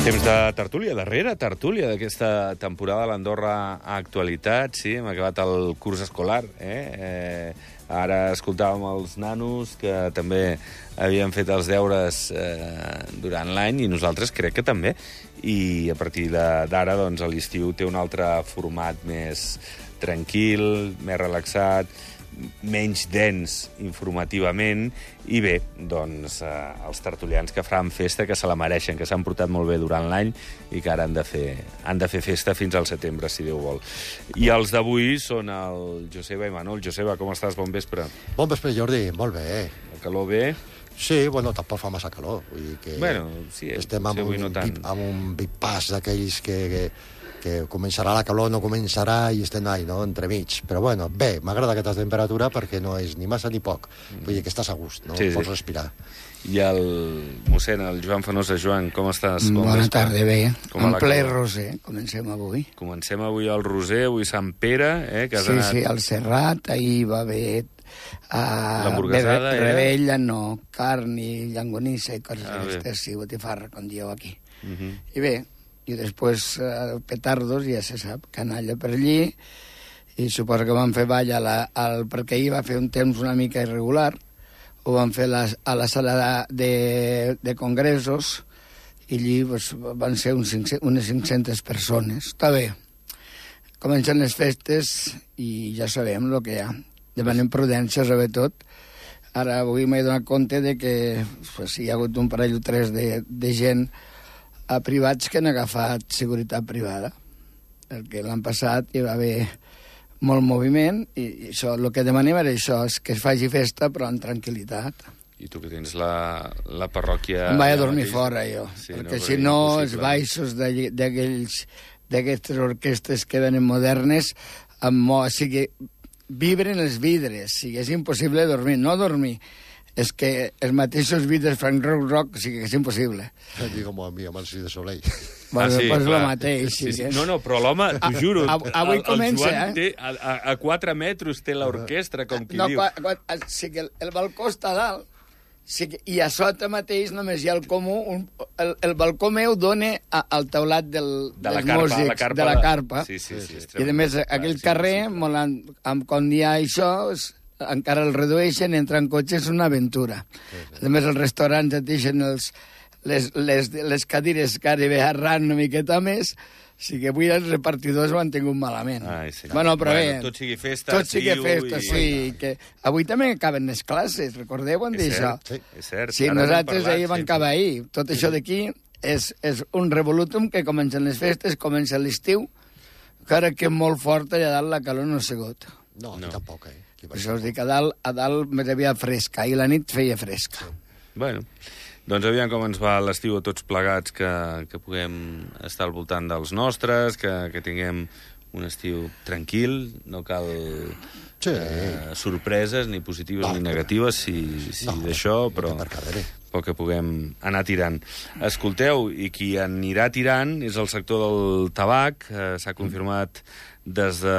Temps de tertúlia, darrere tertúlia d'aquesta temporada de l'Andorra a Actualitat. Sí, hem acabat el curs escolar. Ara escoltàvem els nanos que també havien fet els deures durant l'any i nosaltres crec que també. I a partir d'ara, doncs, l'estiu té un altre format més tranquil, més relaxat, menys dens informativament, i bé, doncs, els tertulians que faran festa, que se la mereixen, que s'han portat molt bé durant l'any i que ara han de fer festa fins al setembre, si Déu vol. I els d'avui són el Joseba i Manol. Joseba, com estàs? Bon vespre. Bon vespre, Jordi. Molt bé. El calor bé? Sí, bueno, tampoc fa massa calor. Vull dir que bueno, sí, estem amb, avui no tant. Amb un big pass d'aquells que començarà la calor, no començarà, i estem ahí, no?, entremig. Però bueno, bé, m'agrada aquesta temperatura perquè no és ni massa ni poc. Vull dir que estàs a gust, no? Sí, Pots sí. respirar. I el mossèn, el Joan Fenosa. Joan, com estàs? Bona tarda, bé. En ple calor? roser, comencem avui. Comencem avui al Roser, avui Sant Pere, que has anat... Sí, al Serrat, ahir va haver... L'hamburguesada, Rebella, no, carn i llangonissa i coses d'aquestes, sí, botifarra, com dieu aquí. I bé, i després petardos, ja se sap, canalla per allí, i suposo que van fer ball perquè ahir va fer un temps una mica irregular, ho van fer a la sala de congressos, i allí van ser unes 500 persones. Està bé. Comencen les festes i ja sabem el que hi ha. Demanem prudència, sobretot. Ara, avui m'he donat compte de que hi ha hagut un parell o tres de gent a privats que han agafat seguretat privada. Perquè l'any passat hi va haver molt moviment i això, el que demanem era això, és que es faci festa però amb tranquil·litat. I tu que tens la parròquia... Em vaig a dormir fora, jo. Sí, perquè si no, els baixos d'aquestes orquestres que venen modernes, o sigui, vibren els vidres, o sigui, és impossible dormir. No dormir, és que els mateixos vidres fan rock, o sigui que és impossible. Digo, a mi, amb el Cirque du Soleil. Bueno, sí, pues el mateix, sí. No, però l'home, t'ho juro, avui comença, el Joan té, a 4 metres té l'orquestra, com qui diu. O sigui, el balcó està a dalt, i a sota mateix només hi ha el comú, el balcó meu dona al teulat dels músics, de la carpa. Sí, i a més, aquell carrer, quan hi ha això, encara el redueixen, entren cotxes, és una aventura. A més, els restaurants et deixen les cadires gairebé arran una miqueta més, o sigui que avui els repartidors ho han tingut malament. Sí. Bueno, però bé... Tot sigui festa, tot sigui festa, sí. Que avui també acaben les classes, recordeu-ho d'això? Sí, és cert. Sí, nosaltres ahir vam acabar ahir. Tot això d'aquí és un revolutum que comencen les festes, comença l'estiu, encara que molt fort allà dalt la calor no ha sigut. No, tampoc, Per això us dic, a dalt més aviat fresca, i la nit feia fresca. Bueno, doncs aviam com ens va l'estiu a tots plegats, que puguem estar al voltant dels nostres, que tinguem un estiu tranquil, no cal sorpreses, ni positives ni negatives, si d'això, però que puguem anar tirant. Escolteu, i qui anirà tirant és el sector del tabac. S'ha confirmat des de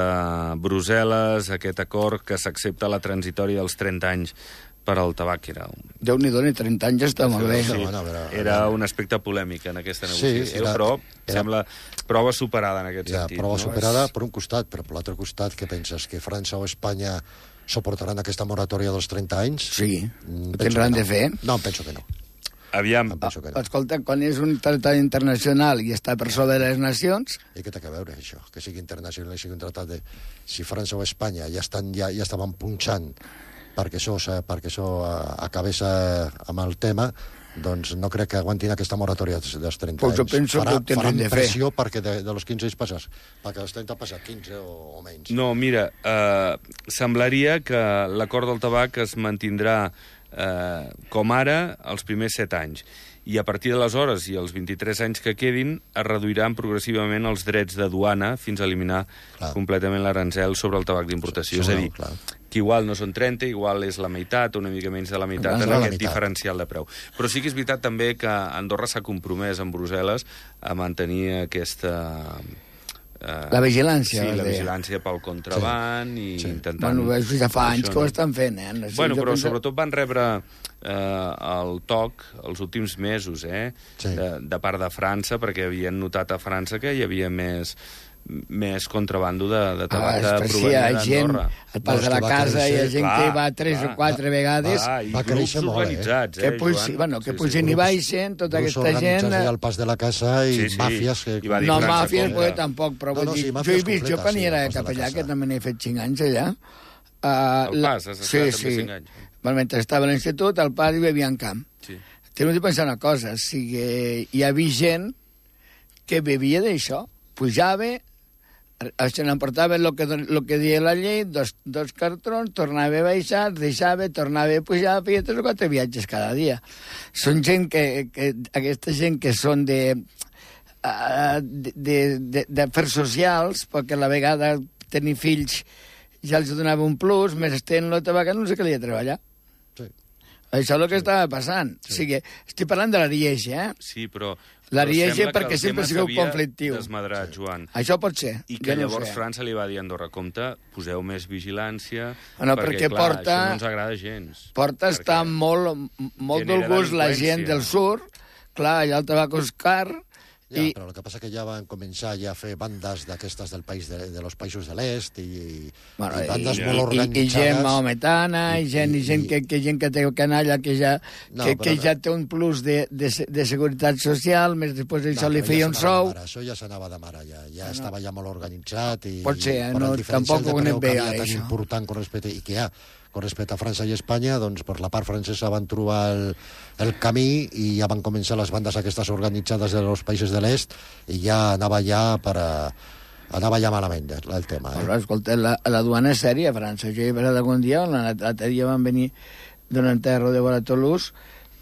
Brussel·les aquest acord que s'accepta la transitòria dels 30 anys per al tabac. Déu-n'hi-do, 30 anys està molt bé. Sí, era un aspecte polèmic en aquesta negociació, però sembla prova superada en aquest sentit. Prova superada per un costat, però per l'altre costat, què penses? Que França o Espanya suportaran aquesta moratòria dels 30 anys? Sí, ho tindran de fer. No, em penso que no. Aviam. Escolta, quan és un tractat internacional i està per sobre de les nacions... I què té a veure, això? Que sigui internacional i sigui un tractat de... Si França o Espanya ja estaven punxant perquè això acabés amb el tema, doncs no crec que aguantin aquesta moratòria dels 30 anys. Pues jo penso que ho tindrem de fer. Faran pressió perquè de los 15 anys passats, perquè dels 30 passat 15 o menys. No, mira, semblaria que l'acord del tabac es mantindrà com ara els primers 7 anys. I a partir d'aleshores i els 23 anys que quedin es reduiran progressivament els drets de duana fins a eliminar completament l'arancel sobre el tabac d'importació. És a dir, que igual no són 30, igual és la meitat, una mica menys de la meitat, en aquest diferencial de preu. Però sí que és veritat també que Andorra s'ha compromès amb Brussel·les a mantenir aquesta La vigilància. Sí, la vigilància pel contraband i intentant... Bueno, ja fa anys que ho estan fent, Bueno, però sobretot van rebre el toc els últims mesos, de part de França, perquè havien notat a França que hi havia més contrabando de tabac provenint d'Andorra. Al pas de la casa hi ha gent que hi va 3 o 4 vegades. Va créixer molt, organitzats, que pugen i baixen, tota aquesta gent... al pas de la casa i màfies... No, màfies, tampoc, però vull dir... Jo he vist, jo quan era capellà, que també n'he fet 5 anys allà... Al pas, has estat també 5 anys. Mentre estava a l'institut, al pas hi havia en camp. Teniu de pensar una cosa, hi havia gent que bevia d'això, pujava, se n'emportava el que deia la llei, dos cartrons, tornava a baixar, deixava, tornava a pujar, feia 3 o 4 viatges cada dia. Són gent aquesta gent que són d'afers socials, perquè a la vegada tenir fills ja els donava un plus, més estent la tabaca no sé què li ha treballat. Això és el que estava passant. O sigui, estic parlant de l'Ariège, Sí, però... L'Ariège perquè sempre sigueu conflictiu. Desmadrat, Joan. Això pot ser. I que llavors França li va dir a Andorra, compte, poseu més vigilància, perquè clar, això no ens agrada gens. Porta està molt del gust la gent del sud, clar, allà el tabac és car, però el que passa que ja van començar a fer bandes d'aquestes de los països de l'est i bandes molt organitzades. I gent maometana, i gent que té canalla, que ja té un plus de seguretat social, més després això li feia un sou. Això ja s'anava de mare, ja estava ja molt organitzat. Pot ser, tampoc ho anem bé, això. Tan important con respecte a França i Espanya, doncs per la part francesa van trobar el camí i ja van començar les bandes aquestes organitzades dels països de l'est i ja anava ja malament el tema. Però, escolta, la duana és sèria a França. Jo he passat algun dia, l'altre dia van venir d'un enterro de vora Toulouse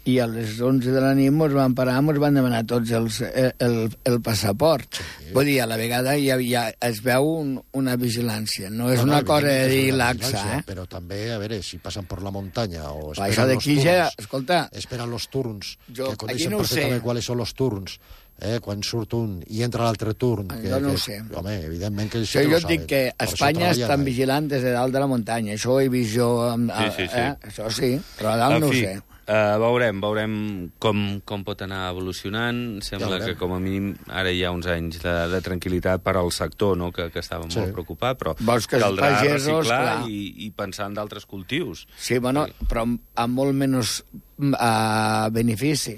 i a les 11 de la nit ens van parar, ens van demanar tots el passaport. Vull dir, a la vegada ja es veu una vigilància. No és una cosa de dir laxa, Però també, a veure, si passen per la muntanya o això d'aquí ja, escolta... Esperen els turns, que aquí coneixen no ho sé. perfectament quals són els turns. Quan surt un i entra l'altre turn... Jo no ho sé. Home, evidentment que sí que ho saben. Jo dic que a Espanya estan vigilant des de dalt de la muntanya. Això ho he vist jo... Això sí, però a dalt no ho sé. Veurem com pot anar evolucionant. Sembla que com a mínim ara hi ha uns anys de tranquil·litat per al sector, no? que estava molt preocupat, però caldrà reciclar i pensar en d'altres cultius. Sí, bueno, però amb molt menys benefici.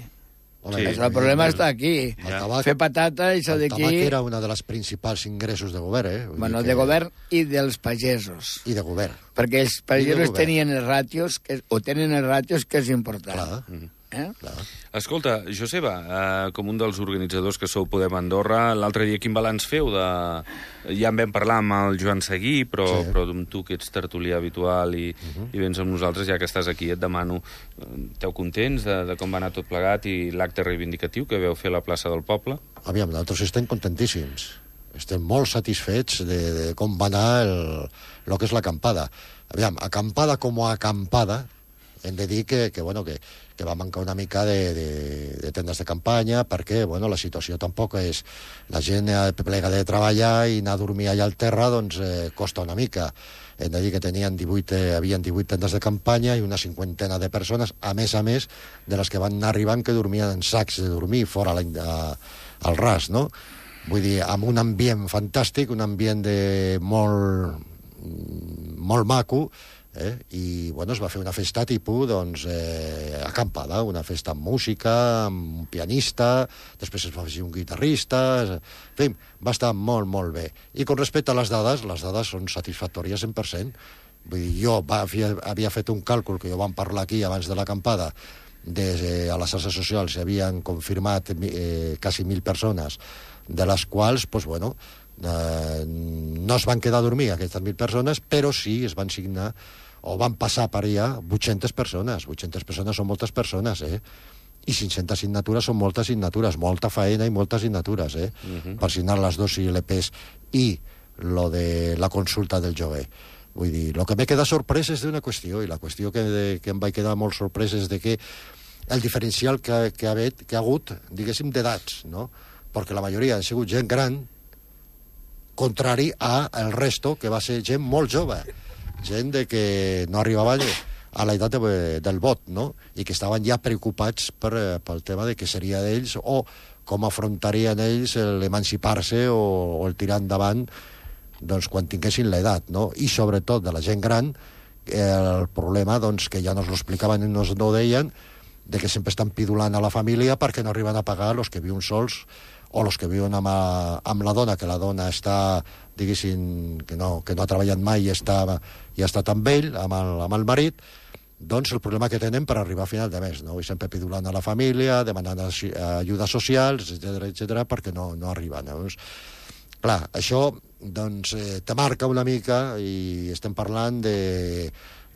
El problema està aquí. Fer patata i això d'aquí... El tabac era una de les principals ingressos de govern, Bueno, de govern i dels pagesos. I de govern. Perquè els pagesos tenien els ràtios, o tenen els ràtios, que és important. Clar. Escolta, Joseba, com un dels organitzadors que sou Podem Andorra, l'altre dia quin balanç feu de... Ja en vam parlar amb el Joan Seguí, però amb tu, que ets tertulià habitual i vens amb nosaltres, ja que estàs aquí, et demano, esteu contents de com va anar tot plegat i l'acte reivindicatiu que veu fer a la plaça del Poble? Aviam, nosaltres estem contentíssims. Estem molt satisfets de com va anar el que és l'acampada. Aviam, acampada com a acampada, hem de dir que va mancar una mica de tendes de campanya perquè la situació tampoc és... La gent plega de treballar i anar a dormir allà al terra doncs costa una mica. Hem de dir que havien 18 tendes de campanya i una 50 de persones, a més de les que van anar arribant que dormien en sacs de dormir fora al ras, no? Vull dir, amb un ambient fantàstic, un ambient molt maco, i es va fer una festa tipus acampada, una festa amb música, amb un pianista, després es va fer un guitarrista, en fi, va estar molt, molt bé. I con respecte a les dades són satisfactòries 100%. Vull dir, jo havia fet un càlcul que jo vam parlar aquí abans de l'acampada, a les xarxes socials s'havien confirmat quasi 1.000 persones, de les quals, no es van quedar a dormir aquestes 1.000 persones, però sí es van signar o van passar per allà 800 persones. 800 persones són moltes persones, I 500 signatures són moltes signatures, molta faena i moltes signatures, per signar les 2 ILPs i lo de la consulta del lloguer. Vull dir, el que m'he quedat sorprès és d'una qüestió, i la qüestió que em vaig quedar molt sorprès és de que el diferencial que ha hagut, diguéssim, d'edats, no? Perquè la majoria han sigut gent gran contrari al resto, que va ser gent molt jove, gent que no arribava a l'edat del vot, no? I que estaven ja preocupats pel tema de què seria d'ells o com afrontarien ells l'emancipar-se o el tirar endavant doncs, quan tinguessin l'edat, no? I sobretot de la gent gran, el problema doncs, que ja nos lo explicaven i nos ho deien, de que sempre estan pidulant a la família perquè no arriben a pagar els que viuen sols o els que viuen amb la dona, que la dona està, diguéssim, que no ha treballat mai i està amb ell, amb el marit, doncs el problema que tenen per arribar a final de mes, no? I sempre pidulant a la família, demanant ajudes socials, etc perquè no arriben. Doncs, clar, això doncs, te marca una mica i estem parlant de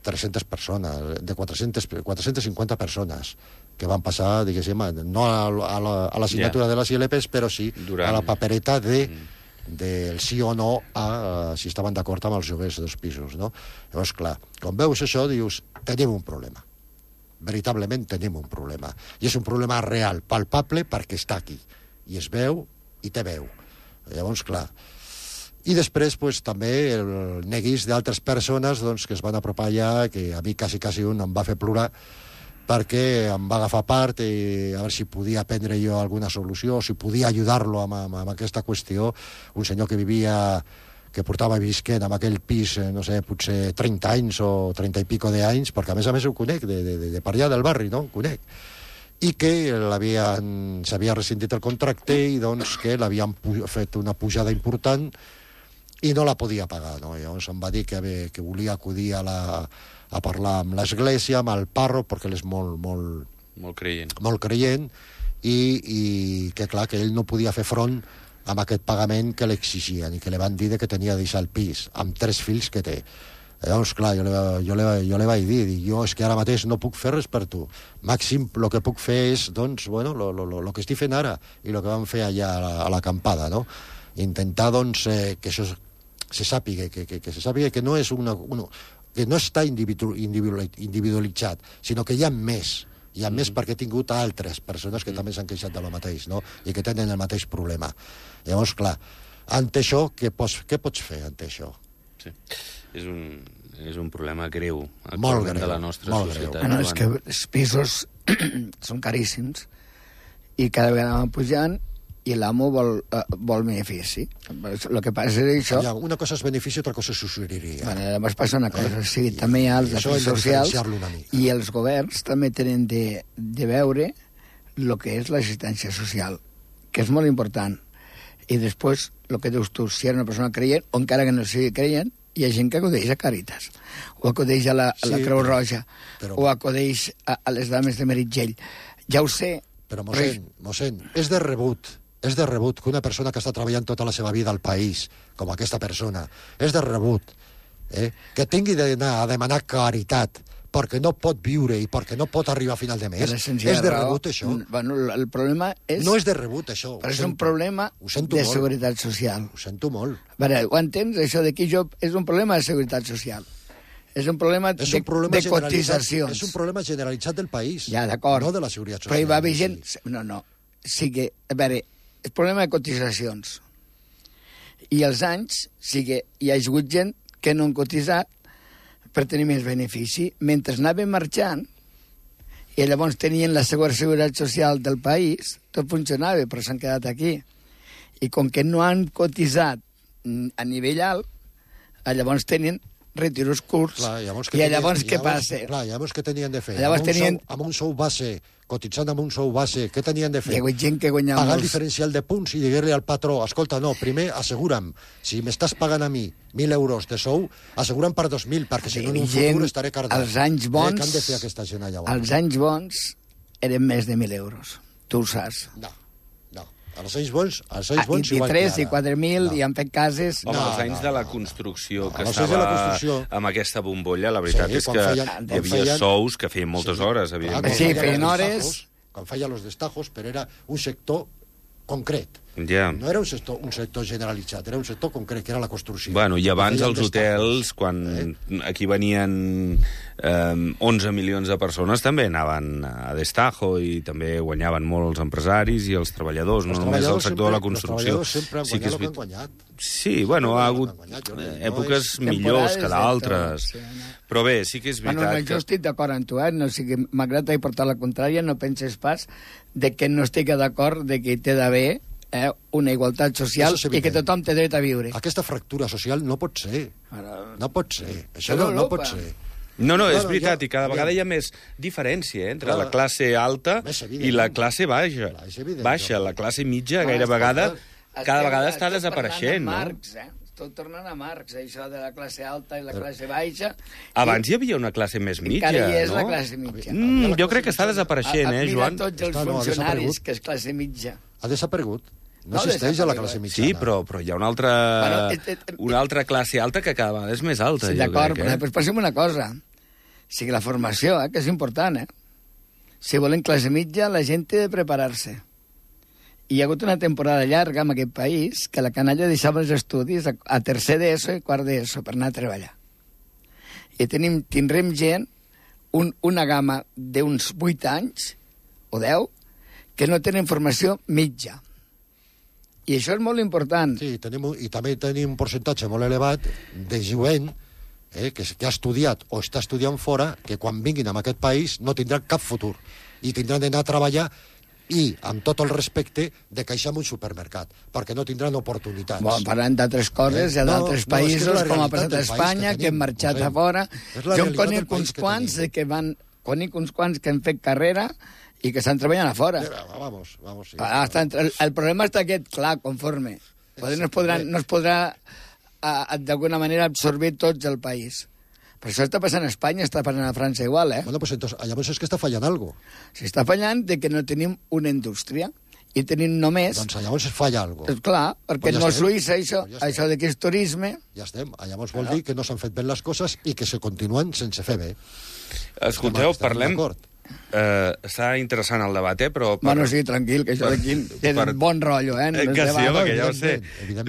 300 persones, de 450 persones que van passar, diguéssim, no a la signatura de les ILPs, però sí a la papereta del sí o no si estaven d'acord amb els lloguers dels pisos, no? Llavors, clar, quan veus això, dius, tenim un problema. Veritablement tenim un problema. I és un problema real, palpable, perquè està aquí. I es veu i té veu. Llavors, clar... I després, pues, també el neguís d'altres persones doncs, que es van apropar allà, que a mi quasi un em va fer plorar, perquè em va agafar part i a veure si podia prendre jo alguna solució, si podia ajudar-lo amb aquesta qüestió. Un senyor que portava visquent en aquell pis, no sé, potser 30 anys o 30 i pico d'anys, perquè a més ho conec, de per allà del barri, no? Ho conec. I que s'havia rescindit el contracte i doncs que l'havien fet una pujada important i no la podia pagar, no? Llavors em va dir que volia acudir a parlar amb l'església, amb el pàrroc, perquè ell és molt creient, i que, clar, que ell no podia fer front amb aquest pagament que l'exigien i que li van dir que tenia de deixar el pis, amb 3 fills que té. Llavors, clar, jo li vaig dir, jo és que ara mateix no puc fer res per tu. Màxim, el que puc fer és, doncs, bueno, el que estic fent ara i el que vam fer allà a l'acampada, no? Intentar, doncs, que això se sàpiga, que no és que no està individualitzat, sinó que hi ha més. Hi ha més perquè he tingut altres persones que també s'han queixat de lo mateix, no? I que tenen el mateix problema. Llavors, clar, ante això, què pots fer ante això? Sí. És un problema greu molt greu, de la nostra societat. Bueno, és que els pisos són caríssims i cada vegada van pujant i l'amo vol benefici. El que passa és això... Una cosa és benefici, altra cosa és usuriria. Bueno, llavors passa una cosa, sí, també hi ha els afers socials i els governs també tenen de veure el que és l'assistència social, que és molt important. I després, el que dius tu, si era una persona creient, o encara que no sigui creient, hi ha gent que acudeix a Càritas, o acudeix a la Creu Roja, o acudeix a les dames de Meritxell. Ja ho sé. Però, mossèn, és de rebut que una persona que està treballant tota la seva vida al país, com aquesta persona, és de rebut, que tingui d'anar a demanar caritat perquè no pot viure i perquè no pot arribar a final de mes. És de rebut, això? Bueno, el problema és... No és de rebut, això. Però és un problema de seguretat social. Ho sento molt. Veure, ho entens? Això d'aquí és un problema de seguretat social. És un problema de cotitzacions. És un problema generalitzat del país. Ja, d'acord. No de la seguretat social. Però hi va haver gent... No. Sí que, a veure, és problema de cotitzacions. I els anys, sí que hi ha hagut gent que no han cotitzat per tenir més benefici. Mentre anaven marxant, i llavors tenien la seguretat social del país, tot funcionava, però s'han quedat aquí. I com que no han cotitzat a nivell alt, llavors tenen retiros curts. Clar, llavors què passa? Clar, llavors què tenien de fer? Amb un sou base, cotitzant amb un sou base, què tenien de fer? Hi ha gent que guanya pagar el diferencial de punts i dir-li al patró, escolta, no, primer assegura'm, si m'estàs pagant a mi 1.000 euros de sou, assegura'm per 2.000, perquè si no en un futur estaré cardat. Els anys bons... Què han de fer aquesta gent allà? Els anys bons eren més de 1.000 euros. Tu ho saps. No. Els anys bons igual que ara. 23 i 4.000 i han fet cases... Home, els anys de la construcció, que estava amb aquesta bombolla, la veritat és que hi havia sous que feien moltes hores, evidentment. Sí, feien hores... Quan feien els destajos, però era un sector concret. Ja. No era un sector generalitzat, era un sector concret, que era la construcció. Bueno, i abans els hotels, quan aquí venien 11 milions de persones, també anaven a destajo i també guanyaven molt els empresaris i els treballadors, no només el sector de la construcció. Els treballadors sempre han guanyat el que han guanyat. Sí, bueno, ha hagut èpoques millors que d'altres. Però bé, sí que és veritat bueno, jo estic d'acord amb tu, no, m'agrada portar la contrària, no penses pas de que no estic d'acord de que té d'haver una igualtat social i que tothom té dret a viure. Aquesta fractura social no pot ser. No pot ser. Això no pot ser. No, és veritat, i cada vegada hi ha més diferència entre la classe alta i la classe baixa. La classe mitja cada vegada està desapareixent, no? Tot tornant a Marx, això de la classe alta i la classe baixa. Abans hi havia una classe més mitja, no? Encara hi és la classe mitja. Jo crec que està desapareixent, Joan? Mira tots els funcionaris, que és classe mitja. Ha desaparegut. No existeix a la classe mitjana. Sí, però hi ha una altra classe alta que cada vegada és més alta. Sí, d'acord, però passem una cosa. Sí que la formació, que és important, Si volen classe mitja, la gent té de preparar-se. Hi ha hagut una temporada llarga en aquest país que la canalla deixava els estudis a tercer d'ESO i quart d'ESO per anar a treballar. I tindrem gent, una gamma d'uns 8 anys, o 10, que no tenen formació mitja. I això és molt important. Sí, i també tenim un percentatge molt elevat de jovent que ha estudiat o està estudiant fora, que quan vinguin a aquest país no tindran cap futur. I tindran d'anar a treballar i, amb tot el respecte, de caixar en un supermercat, perquè no tindran oportunitats. Bon, parlant d'altres coses, hi ha d'altres països, com ha passat a Espanya, que hem marxat a fora. Jo en conec uns quants que han fet carrera i que estan treballant a fora. Vamos, sí. El problema està aquest, clar, conforme. No es podrà d'alguna manera absorbir tots el país. Però això està passant a Espanya, està passant a França igual, Bueno, pues entonces, llavors és que està fallant algo. S'està fallant de que no tenim una indústria i tenim només... Doncs llavors falla algo. Clar, perquè no és Suïssa, això de que és turisme... Ja estem. Llavors vol dir que no s'han fet bé les coses i que se continuen sense fer bé. Escolteu, parlem... Està interessant el debat, però... Bueno, sí, tranquil, que això d'aquí té bon rotllo, Que sí, home, que ja ho sé.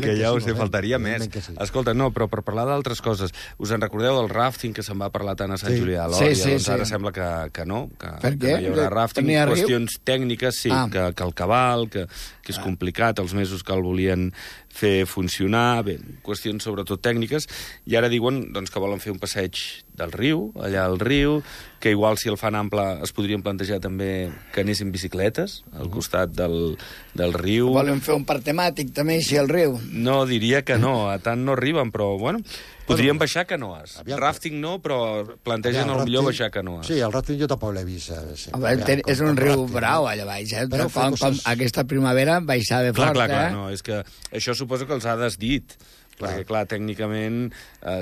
Que ja ho sé, faltaria més. Escolta, no, però per parlar d'altres coses, us en recordeu del ràfting que se'n va parlar tant a Sant Julià de Lòria? Doncs ara sembla que no, que no hi haurà ràfting. Qüestions tècniques, sí, que el cabal, que és complicat, els mesos que el volien fer funcionar, bé, qüestions sobretot tècniques, i ara diuen que volen fer un passeig del riu, allà al riu, que igual si el fan ample es podrien plantejar també que anessin bicicletes al costat del riu. Volen fer un parc temàtic també així al riu? No, diria que no, a tant no arriben, però bueno, podrien baixar canoes. Ràfting no, però plantegen millor baixar canoes. Sí, el ràfting jo tampoc l'he vist. És un riu brau allà baix, com aquesta primavera baixava fort. Clar, no, és que això suposo que els ha desdit. Perquè, clar, tècnicament,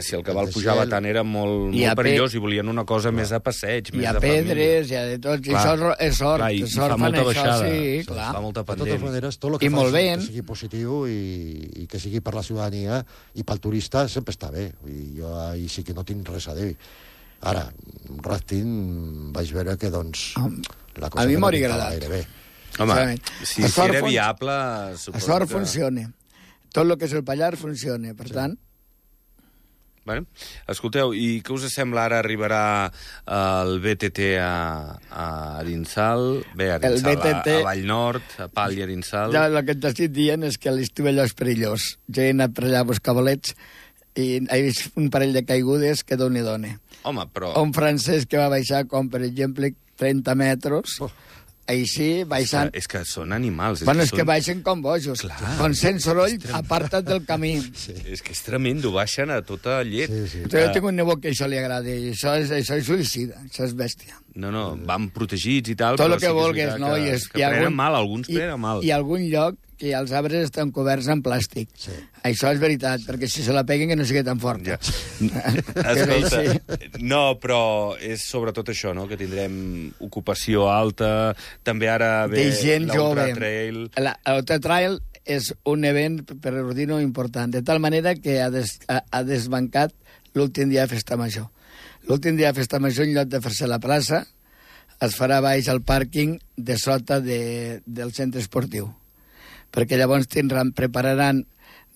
si el cabal pujava tant era molt perillós i volien una cosa més de passeig, més de família. Hi ha pedres, hi ha de tot, i això és sort. I fa molta baixada, fa molta pendent. De totes maneres, tot el que faci que sigui positiu i que sigui per la ciutadania i pel turista sempre està bé. Jo ahir sí que no tinc res a dir. Ara, ràfting vaig veure que, doncs, la cosa no m'agrada gaire bé. Home, si era viable... A sort funciona. Tot el que és el Pallars funciona, per tant... Bueno, escolteu, i què us sembla ara arribarà el BTT a Arinsal? Bé, a Vallnord, a Pal i Arinsal... Ja, el que t'estic dient és que l'estiu allò és perillós. Jo he anat per allà a buscar bolets i he vist un parell de caigudes que doni. Home, però... Un francès que va baixar com, per exemple, 30 metres... Així, baixant... És que són animals. Bueno, és que baixen com bojos. Com sent soroll, aparta't del camí. És que és tremendo, baixen a tota llet. Jo tinc un nebot que això li agrada, i això és suïcida, això és bèstia. No, van protegits i tal, tot el que vulguis, no? Que prenen mal, alguns prenen mal. I algun lloc que els arbres estan coberts en plàstic. Sí. Això és veritat, perquè si se la peguen que no sigui tan forta. Escolta, no, però és sobretot això, no?, que tindrem ocupació alta, també ara ve l'Ultra Trail. L'Ultra Trail és un event, per dir-ho, important, de tal manera que ha desbancat l'últim dia de Festa Major. L'últim dia de Festa Major, en lloc de fer-se a la plaça, es farà baix al pàrquing de sota del centre esportiu. perquè llavors prepararan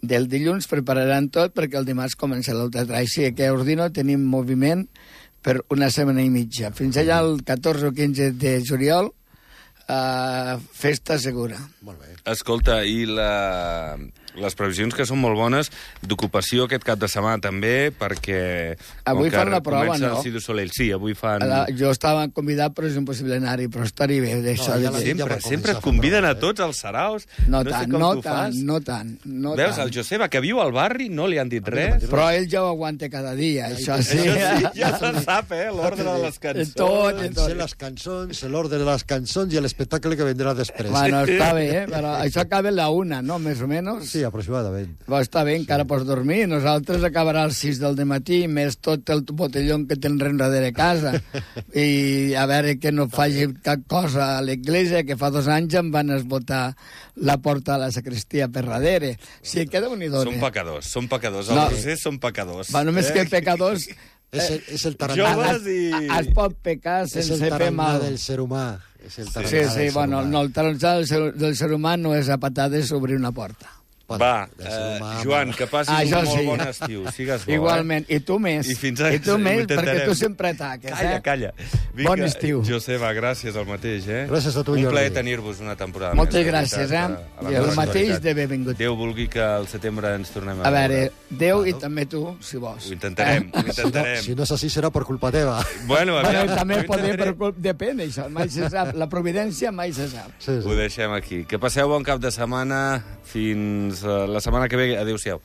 del dilluns, prepararan tot perquè el dimarts comença l'altre. Així que a Ordino tenim moviment per una setmana i mitja. Fins allà el 14 o 15 de juliol, festa segura. Molt bé. Escolta, i les previsions que són molt bones d'ocupació aquest cap de setmana també, perquè... Avui fan la prova, comença no? el Cirque du Soleil. Sí, avui fan... Jo estava convidat, però és impossible anar-hi, però estaria bé d'això. Sempre et conviden a tots els saraus. No tant. Veus, el Joseba, que viu al barri, no li han dit res. Però ell ja ho aguanta cada dia, això sí. Això sí, ja se sap, l'ordre de les cançons. Tot. Sé les cançons, l'ordre de les cançons i l'espectacle que vendrà després. Bueno, està bé, però això acaba a la 1, no? Més o menys. Sí, aproximadament. Però està bé, encara pots dormir. Nosaltres acabarà als 6 del matí, més tot el botelló que tenen darrere casa. I a veure que no faci cap cosa a l'església, que fa 2 anys em van esbotar la porta a la sacristia per darrere. Sí, que Déu-n'hi-do. Són pecadors. Els rosers són pecadors. Va, només que pecadors... És el tarannà. Joves i... Es pot pecar sense fer mal. del ser humà. Sí, bueno, no, el tarannà del ser humà no és a patades obrir una porta. Va, Joan, que passis un molt bon estiu. Sigues bo, igualment, i tu més. I fins I tu més, perquè tu sempre ataques. Calla. Vinga, Bon estiu. Joseba, gràcies, el mateix, Gràcies a tu, Un Jordi. plaer tenir-vos una temporada Moltes més. gràcies, I el mateix de benvingut. Déu vulgui que al setembre ens tornem a A veure, veure. Déu i també tu, si vols. Ho intentarem. Si no és així, serà per culpa teva. Bueno, aviam, També ho poder, intentaré. depèn, això, mai se sap. La providència mai se sap. Sí. Ho deixem aquí. Que passeu bon cap de setmana. Fins la setmana que ve. Adéu-siau.